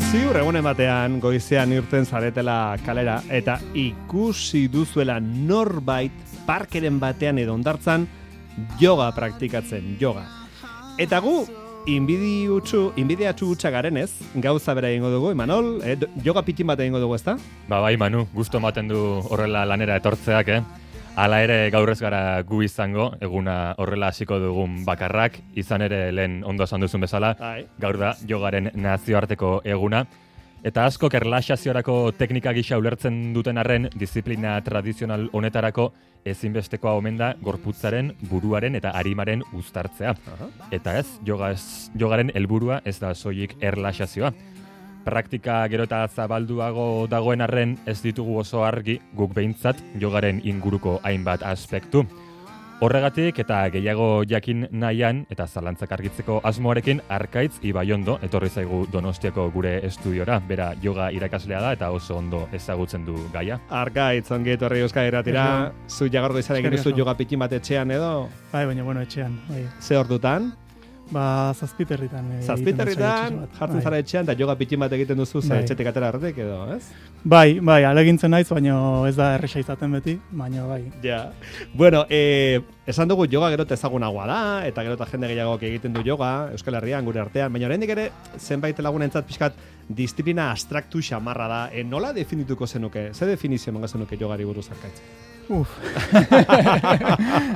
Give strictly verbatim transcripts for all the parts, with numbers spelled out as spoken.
Ziur egunen batean goizean irten zaretela kalera eta ikusi duzuela norbait parkeren batean edo hondartzan yoga praktikatzen, yoga. Eta gu inbidiutxu, inbidiatxu utxa garenez, gauza bera egingo dugu, Imanol, eh, yoga pitin bat egingo dugu, ezta? Ba bai, Manu, gusto ematen du horrela lanera etortzeak, eh? Hala ere gaur ez gara gu izango, eguna horrela hasiko dugun bakarrak, izan ere lehen ondo esan duzun bezala, Ai. gaur da jogaren nazioarteko eguna. Eta askok erlaxaziorako teknika gisa ulertzen duten arren, disiplina tradizional honetarako ezinbestekoa omen da gorputzaren, buruaren eta arimaren uztartzea. Aha. Eta ez, yoga ez, jogaren helburua ez da soilik erlaxazioa. Praktika gero eta zabalduago dagoen arren ez ditugu oso argi guk behintzat jogaren inguruko hainbat aspektu. Horregatik eta gehiago jakin nahian eta zalantzak argitzeko asmoarekin Arkaitz Ibaiondo etorri zaigu Donostiako gure estudiora. Bera yoga irakaslea da eta oso ondo ezagutzen du gaia. Arkaitz, ongi etorri Euskal Irratira, zu jagargo izan egin duzu yoga pitin bat etxean edo? Bai, baina bueno, etxean. Bai. Ze ordutan? Ba, zazpiterritan. E, Zazpiterritan jartzen zara etxean eta yoga pitin bat egiten duzu ze Bai. etxetik atera arretik edo, ez? Bai, bai, alegintzen naiz, baina ez da erresa izaten beti, baina bai. Ja. Bueno, eh, esan dugu yoga gero eta ezagunagoa da, eta gero eta jende gehiagok egiten du yoga, Euskal Herrian, gure artean, baina oraindik ere, zenbait lagunentzat pixkat, disiplina abstraktu xamarra da. E, nola definituko zenuke? Ze definizio emango zenuke yogari buruz, Arkaitz? Uf.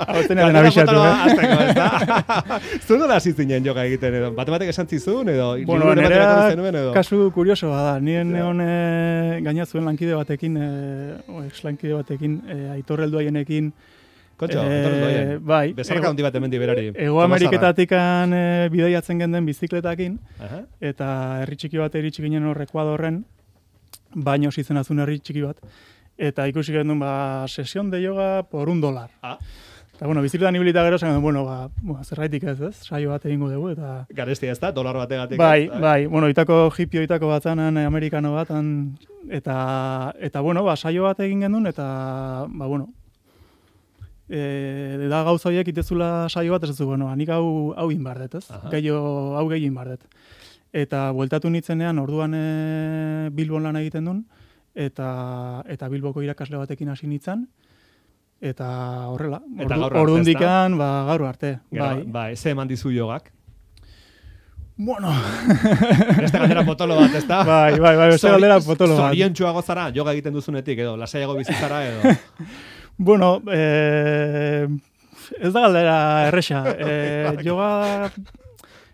Hau zenaren abixatu, eh? Zu nola hasi zinen yoga egiten edo? Batematek esan zizun edo? Bueno, liburu nerea batean zenuen edo? kasu kurioso da. Nien neon e, gaina zuen lankide batekin, e, o, ex-lankide batekin, e, Aitor Helduaienekin, Kontxo, e, Aitor Helduaien. bai, Bezarka handi bat hemendik berari. Ego Ameriketatikan e, bidaiatzen genden bizikletakin, Aha. eta herri txiki bat iritsi ginen hor Ekuadorren, baino zitzen azun herri txiki bat, eta ikusi gendun, ba, sesión de yoga por un dolar. Ah. Eta, bueno, bizikletan ibilita gero, zen, bueno, ba, bueno, zerraitik ez, ez, saio bat egingo dugu, eta... Garestia ez da, dolar bategatik. Bai, ez da, bai, bueno, itako hipio itako bat zanan, eh, amerikano bat, han, eta, eta, bueno, ba, saio bat egin gendun, eta, ba, bueno, e, da gauza horiek itezula saio bat, ez zu, bueno, anik hau, hau inbardet, ez? Aha. Gehiago, hau gehi inbardet. Eta bueltatu nitzenean, orduan e, Bilbon lan egiten duen, eta eta Bilboko irakasle batekin hasi nintzen, eta horrela, Eta ordu, gaur arte, ordundikan, ba, gaur arte. Gero, Bai. bai, ze eman dizu yogak? Bueno. Beste galdera potolo bat, ez da? bai, bai, bai, beste galdera potolo bat. Zoriontsuago zara, yoga egiten duzunetik, edo, lasaiago bizitzara, edo. Bueno, eh, ez da galdera erresa. Eh, yoga,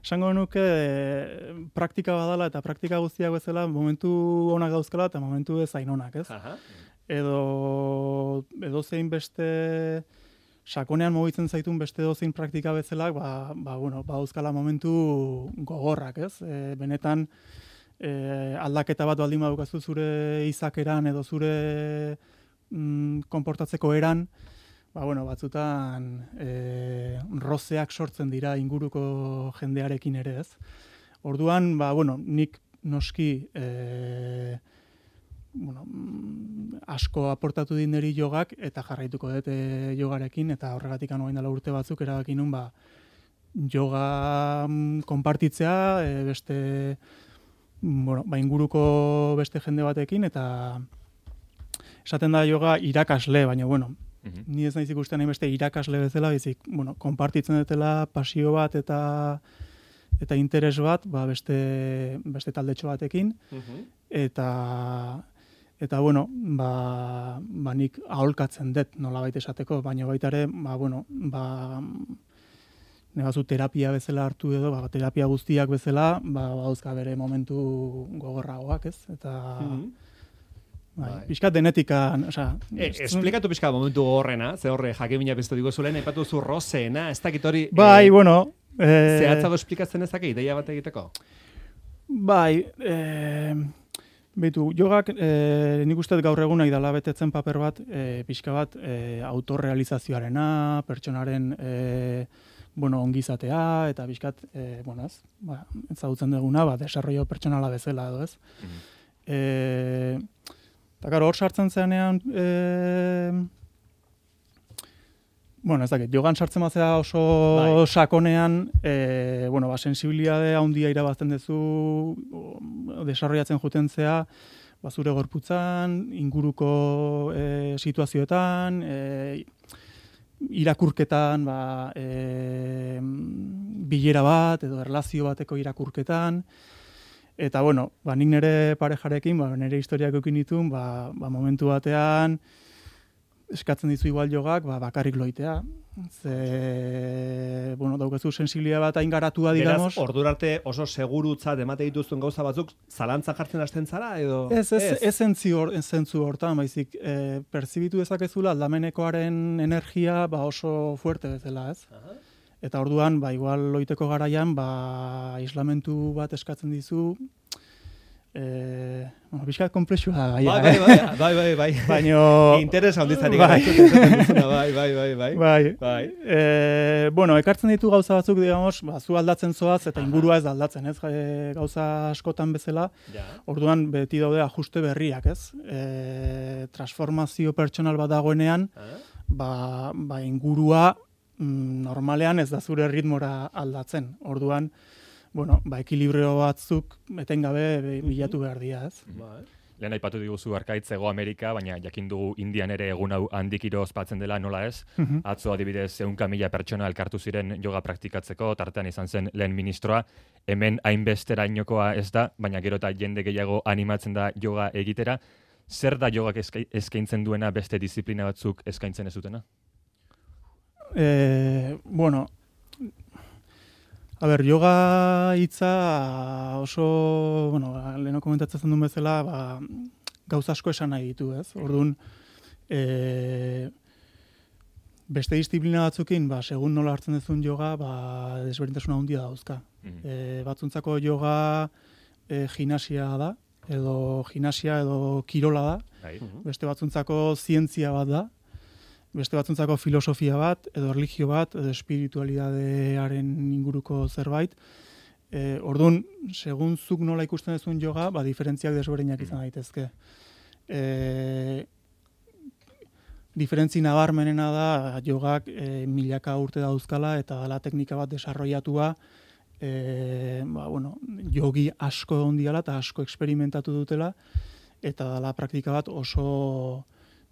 esango nuke, eh, praktika badala eta praktika guztiak bezala momentu onak dauzkala eta momentu ez hain onak, ez? Aha. Edo, edo zein beste sakonean mugitzen zaitun beste dozein praktika bezalak, ba, ba, bueno, ba dauzkala momentu gogorrak, ez? E, benetan e, aldaketa bat baldin badukazu zure izakeran edo zure mm, konportatzeko eran, ba, bueno, batzutan e, rozeak sortzen dira inguruko jendearekin ere, ez? Orduan, ba, bueno, nik noski e, bueno, asko aportatu din niri jogak eta jarraituko dut e, jogarekin eta horregatik anoain dela urte batzuk erabaki nun ba, yoga konpartitzea e, beste bueno, ba, inguruko beste jende batekin eta esaten da yoga irakasle, baina bueno, Mhm. ni ez naiz ikusten hain beste irakasle bezala, bizik, bueno, konpartitzen dutela pasio bat eta eta interes bat, ba, beste beste taldetxo batekin Mhm. eta eta bueno, ba, ba nik aholkatzen dut nolabait esateko, baina baita ere, ba bueno, ba negazu terapia bezala hartu edo, ba terapia guztiak bezala, ba badauzka bere momentu gogorragoak, ez? Eta Mhm. bai, Bai. pixkat denetikan, osea, E, esplikatu pixka momentu gogorrena, ze horre jakimina bezto digo zulen, aipatu zu rozeena, ez dakit hori... bai, eh, bueno, eh, zehatzago esplikatzen ezake, ideia bat egiteko? Bai, eh, beitu, jogak eh, nik uste gaur egun nahi dela betetzen paper bat, eh, pixka bat eh, autorrealizazioarena, pertsonaren eh, bueno, ongizatea, eta pixkat, eh, bueno, ez, ba, ezagutzen duguna, ba, desarrollo pertsonala bezala edo, ez. Mhm. Eh, eta gero hor sartzen zenean, eh, bueno, ez dakit, jogan sartzen bazea oso Bai. sakonean, e, bueno, ba, sensibilitate handia irabazten duzu, desarrollatzen jutentzea, ba, zure gorputzan, inguruko e, situazioetan, e, irakurketan, ba, e, bilera bat edo erlazio bateko irakurketan, eta bueno, ba, nik nire parejarekin, ba, nire historiak eukin ditun, ba, ba, momentu batean, eskatzen dizu igual jogak, ba, bakarrik loitea. Ze, bueno, daukezu sensibilia bat hain garatua, digamos. Beraz, ordurarte oso segurutzat emate dituzten gauza batzuk, zalantza jartzen hasten zara, edo? Ez, ez, ez zentzu hortan, baizik, e, perzibitu dezakezula aldamenekoaren energia, ba, oso fuerte bezala, ez? Aha. Eta orduan, ba, igual loiteko garaian, ba, aislamentu bat eskatzen dizu, Eh, bueno, bizkat komplexua da, gaia, bai, bai, bai, bai, bai, bai. Baino... Interesa honditzari bai. gara, bai, bai, bai, bai. Bai. bai. Eh, bueno, ekartzen ditu gauza batzuk, digamos, ba, zu aldatzen zoaz, eta ingurua ez da aldatzen, ez? E, gauza askotan bezala, ja. Orduan beti daude ajuste berriak, ez? E, transformazio pertsonal bat dagoenean, ba, ba, ingurua mm, normalean ez da zure ritmora aldatzen. Orduan, bueno, ba, ekilibrio batzuk etengabe bilatu behar dira, ez? Bai. Lehen aipatu diguzu Arkaitz Hego Amerika, baina jakin dugu Indian ere egun hau handikiro ospatzen dela, nola ez? Uh-huh. Atzo adibidez ehunka mila pertsona elkartu ziren yoga praktikatzeko, tartean izan zen lehen ministroa. Hemen hainbesterainokoa ez da, baina gero eta jende gehiago animatzen da yoga egitera. Zer da yogak eskaintzen duena beste disiplina batzuk eskaintzen ez dutena? Eh, bueno, a ber, yoga hitza oso, bueno, leheno komentatzen duen bezala, ba, gauza asko esan nahi ditu, ez? Orduan, e, beste disiplina batzukin, ba, segun nola hartzen duzun yoga, ba, desberdintasuna handia dauzka. Mm-hmm. E, batzuntzako yoga e, gimnasia da, edo gimnasia edo kirola da, mm-hmm. Beste batzuntzako zientzia bat da, beste batzuntzako filosofia bat, edo erlijio bat, edo espiritualidadearen inguruko zerbait. E, orduan, segun zuk nola ikusten duzun yoga, ba, diferentziak desberdinak izan daitezke. E, diferentzi nabarmenena da, yogak e, milaka urte dauzkala, eta dela teknika bat desarrollatua, e, ba, bueno, yogi asko ondiala eta asko eksperimentatu dutela, eta dela praktika bat oso...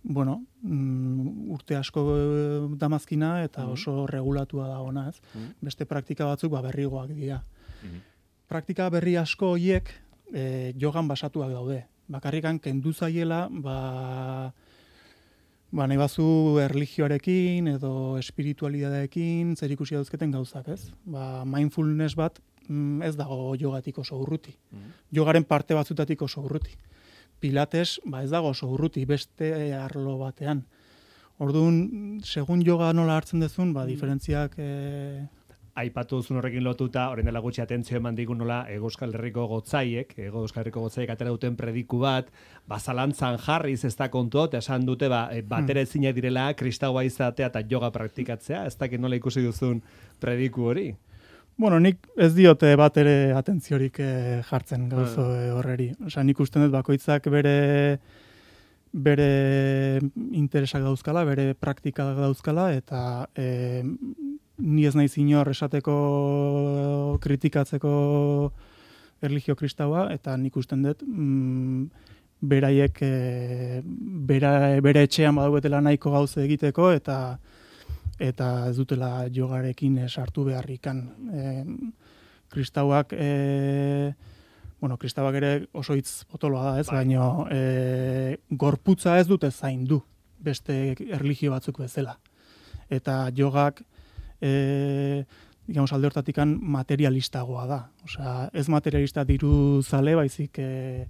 bueno, mm, urte asko damazkina eta mm-hmm. oso regulatua da ona, ez? Mm-hmm. Beste praktika batzuk ba, berrigoak dira. Mm-hmm. Praktika berri asko horiek e, jogan basatuak daude. Bakarrikan kendu zaiela, ba, ba nahi bazu erlijioarekin edo espiritualidadeekin zer ikusi dauzketen gauzak, ez? Ba, mindfulness bat mm, ez dago jogatik oso urruti. Mm-hmm. Jogaren parte batzutatik oso urruti. Pilates, ba ez dago oso urruti, beste arlo batean. Orduan, segun yoga nola hartzen dezun, ba, diferentziak... E... Aipatu duzun horrekin lotuta, orain dela gutxi atentzio eman digun nola, Ego Euskal Herriko gotzaiek, Ego Euskal Herriko gotzaiek atera duten prediku bat, ba, zalantzan jarriz ez da kontu, eta esan dute, ba, batera ezinak direla, kristaua izatea eta yoga praktikatzea, ez dakit nola ikusi duzun prediku hori? Bueno, nik ez diote bat ere atentziorik eh, jartzen gauzo eh, horreri. Osa, nik usten dut bakoitzak bere bere interesak dauzkala, bere praktikak dauzkala, eta eh, ni ez naiz inor esateko kritikatzeko erlijio kristaua, eta nik usten dut mm, beraiek eh, bera, bere etxean badauetela nahiko gauze egiteko, eta eta ez dutela jogarekin sartu beharrikan. E, kristauak, e, bueno, kristauak ere oso hitz potoloa da, ez, baina e, gorputza ez dute zaindu beste erlijio batzuk bezala. Eta jogak, e, digamos, alde hortatikan materialistagoa da. Osea, ez materialista diru zale, baizik e,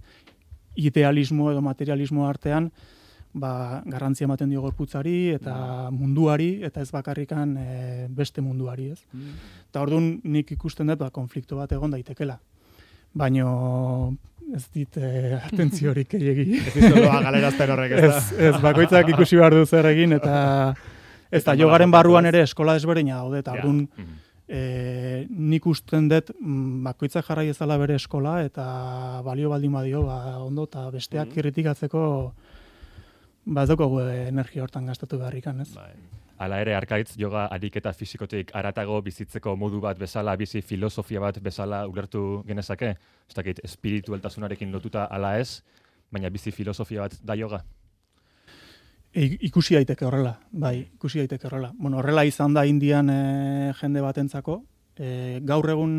idealismo edo materialismo artean, ba, garrantzia ematen dio gorputzari eta munduari, eta ez bakarrikan e, beste munduari, ez? Mm. Eta orduan nik ikusten dut, ba, konflikto bat egon daitekela. Baina ez dit e, atentziorik egin. Ez dizoloa galerazten horrek, ez da? Ez, ez, bakoitzak ikusi behar du zer egin, eta ez da, jogaren barruan ere eskola desberdina daude, eta orduan e, nik usten dut bakoitzak jarrai ezala bere eskola, eta balio baldin badio, ba, ondo, eta besteak mm. kritikatzeko ba ez daukagu energia hortan gastatu beharrikan, ez? Bai. Hala ere, arkaitz, yoga ariketa fisikotik aratago bizitzeko modu bat bezala, bizi filosofia bat bezala ulertu genezake? Ez dakit, espiritualtasunarekin lotuta ala ez, baina bizi filosofia bat da yoga? E, ikusi daiteke horrela, bai, ikusi daiteke horrela. Bueno, horrela izan da Indian e, jende batentzako. E, gaur egun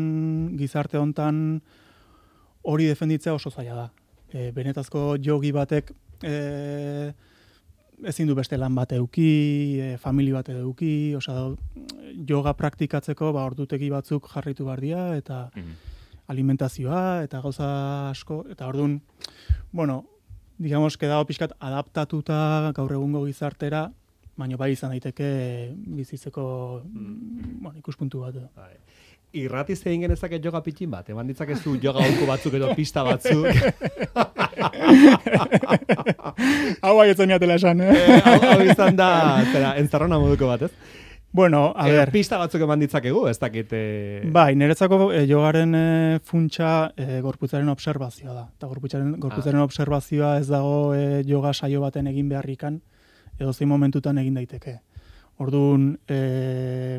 gizarte hontan hori defenditzea oso zaila da. E, benetazko jogi batek e, ezin du beste lan bat eduki, e, famili bat eduki, osea, yoga praktikatzeko ba, ordutegi batzuk jarritu behar dira, eta mm-hmm. alimentazioa, eta gauza asko, eta orduan, bueno, digamos, que dago pixkat adaptatuta gaur egungo gizartera, baina bai izan daiteke bizitzeko mm. bueno, ikuspuntu bat. Bai. Irratiz egin genezake yoga pitin bat, eman ditzakezu yoga holko batzuk edo pista batzuk. Hau bai etzen miatela esan, eh? eh hau, hau izan da, zera, entzarrona moduko bat, ez? Bueno, a eh, ver. Pista batzuk eman ditzakegu, ez dakit... Eh... Bai, niretzako eh, yogaren eh, funtsa eh, gorputzaren obserbazioa da. Eta gorputzaren, gorputzaren ah. obserbazioa ez dago eh, yoga saio baten egin beharrikan, edo zein momentutan egin daiteke. Orduan, eh,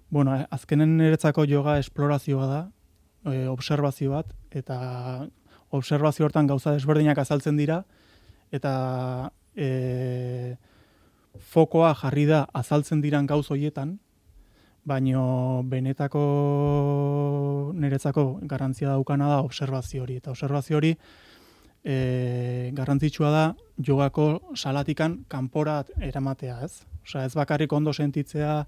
bueno, azkenen niretzako yoga esplorazioa da, eh, obserbazio bat, eta obserbazio hortan gauza desberdinak azaltzen dira, eta... Eh, fokoa jarri da azaltzen diran gauz hoietan, baino benetako niretzako garrantzia daukana da obserbazio hori. Eta obserbazio hori e, garrantzitsua da jogako salatikan kanpora eramatea, ez? Osea, ez bakarrik ondo sentitzea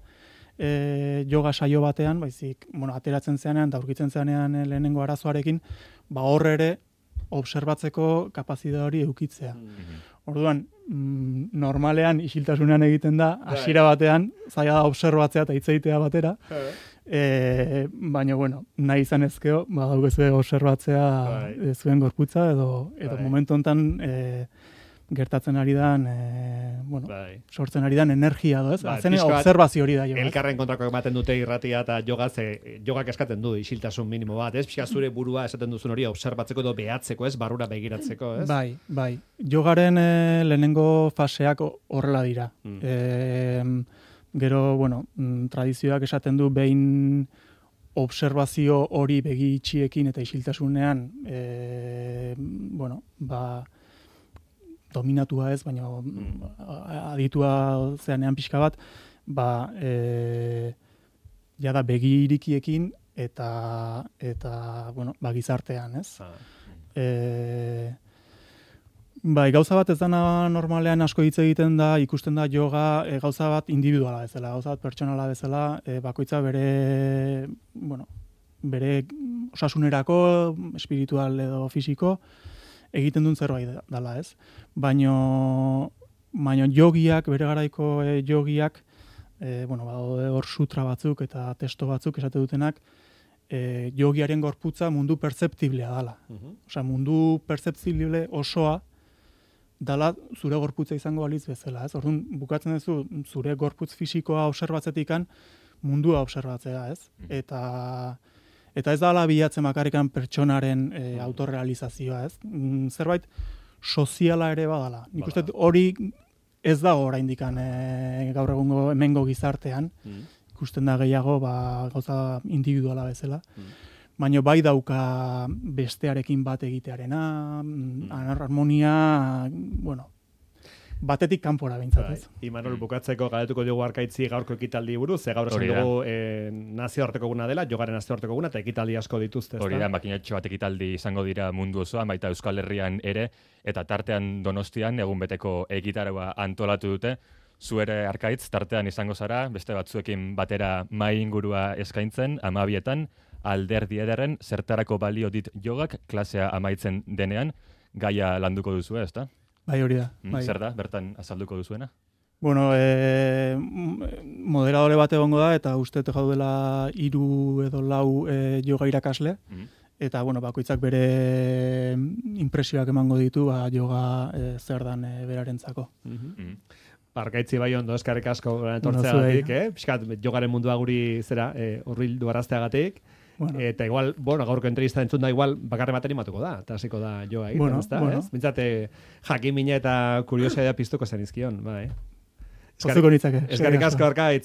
e, yoga saio batean, baizik, bueno, ateratzen zeanean eta aurkitzen zeanean lehenengo arazoarekin, ba hor ere obserbatzeko kapazitate hori edukitzea. Mm-hmm. Orduan, mm, normalean isiltasunean egiten da, hasiera batean, zaila da obserbatzea eta hitz egitea batera, e, baina, bueno, nahi izan ezkeo, ba, daukazue obserbatzea zuen gorputza, edo, edo momentu honetan e, gertatzen ari dan, e, bueno, Bai. sortzen ari dan energia, do, ez? Bai, Azen observazio hori da. Jo, elkarren kontrako ematen dute irratia eta yoga, ze, jogak eskatzen du isiltasun minimo bat, ez? Pixka zure burua esaten duzun hori obserbatzeko edo behatzeko, ez? Barrura begiratzeko, ez? Bai, bai. Jogaren e, lehenengo faseak horrela dira. Mm. E, gero, bueno, tradizioak esaten du behin observazio hori begi itxiekin eta isiltasunean, e, bueno, ba... dominatua ez, baina mm. aditua zeanean pixka bat, ba, e, jada begi irikiekin eta, eta bueno, ba, gizartean, ez? Ah. E, bai, gauza bat ez dana normalean asko hitz egiten da, ikusten da yoga e, gauza bat individuala bezala, gauza bat pertsonala bezala, e, bakoitza bere, bueno, bere osasunerako, espiritual edo fisiko, egiten duen zerbait dela, ez? Baino, baino jogiak, bere garaiko e, jogiak, e, bueno, badaude hor sutra batzuk eta testo batzuk esate dutenak, e, jogiaren gorputza mundu pertzeptiblea dela. Uh-huh. Osea, mundu pertzeptible osoa dela zure gorputza izango balitz bezala, ez? Orduan, bukatzen duzu zure gorputz fisikoa obserbatzetikan mundua obserbatzea, ez? Uh-huh. Eta... Eta ez da ala bilatzen bakarrikan pertsonaren e, autorrealizazioa, ez? Mm, zerbait soziala ere badala. Nik uste hori ez dago oraindikan e, gaur egungo hemengo gizartean. Mm. Ikusten da gehiago ba, gauza individuala bezala. Mm. Baina bai dauka bestearekin bat egitearena, mm. harmonia, bueno, batetik kanpora behintzat, ez? Imanol, bukatzeko galetuko diogu Arkaitzi gaurko ekitaldi buruz, ze gaur esan dugu e, nazioarteko guna dela, jogaren nazioarteko guna, eta ekitaldi asko dituzte. Hori da, makinatxo bat ekitaldi izango dira mundu osoan, baita Euskal Herrian ere, eta tartean Donostian egun beteko egitarua antolatu dute. Zu ere Arkaitz, tartean izango zara, beste batzuekin batera mai ingurua eskaintzen, amabietan, alderdi ederren, zertarako balio dit jogak, klasea amaitzen denean, gaia landuko duzu, ez da? Bai, hori da. Bai. Zer da, bertan azalduko duzuena? Bueno, e, moderadore bat egongo da, eta uste jaudela hiru edo lau e, yoga irakasle, mm-hmm. eta bueno, bakoitzak bere impresioak emango ditu, ba, yoga e, zer dan e, berarentzako. Mm-hmm. Mm-hmm. Arkaitzi bai ondo, eskarrik asko etortzeagatik, eh? Piskat, jogaren mundua guri zera, e, urbildu arazteagatik. Bueno. Eta igual, bueno, gaurko entrevista entzun da igual bakarre baten imatuko da, eta hasiko da joa egiten, bueno, ez da, bueno. ez? Bintzate, jakin mina eta kuriosidadea piztuko zen izkion, bai. Pozuko nitzake. Eskerrik asko, Arkaitz.